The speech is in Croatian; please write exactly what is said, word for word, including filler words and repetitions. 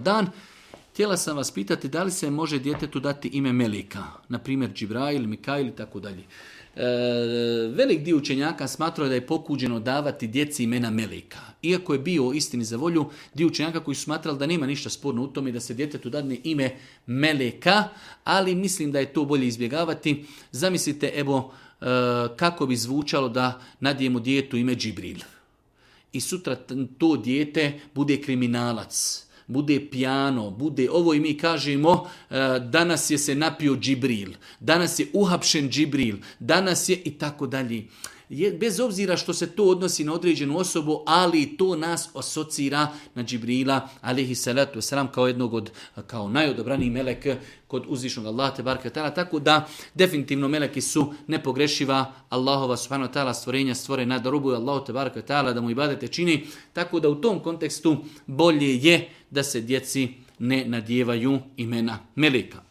dan. Htjela sam vas pitati da li se može djetetu dati ime Melika, na primjer Džibrail, Mikail i tako dalje. E, velik dio učenjaka smatrao da je pokuđeno davati djeci imena Melika. Iako je bio istini za volju, dio učenjaka koji su smatrali da nema ništa sporno u tome da se djetetu dadne ime Meleka, ali mislim da je to bolje izbjegavati. Zamislite, evo, e, kako bi zvučalo da nadijemo djetetu ime Džibril. I sutra to dijete bude kriminalac, bude pijano, bude ovo i mi kažemo danas je se napio Džibril, danas je uhapšen Džibril, danas je i tako dalje. Bez obzira što se to odnosi na određenu osobu, ali to nas asocira na Džibrila, alejhi salatu vesselam, kao jednog od, kao najodobraniji melek kod uzvišnog Allaha tebareke ve taala, tako da definitivno meleki su nepogrešiva Allahova subhanahu wa taala stvorenja, stvorena da robuju Allahu tebareke ve taala, da mu ibadete čini, tako da u tom kontekstu bolje je da se djeci ne nadijevaju imena meleka.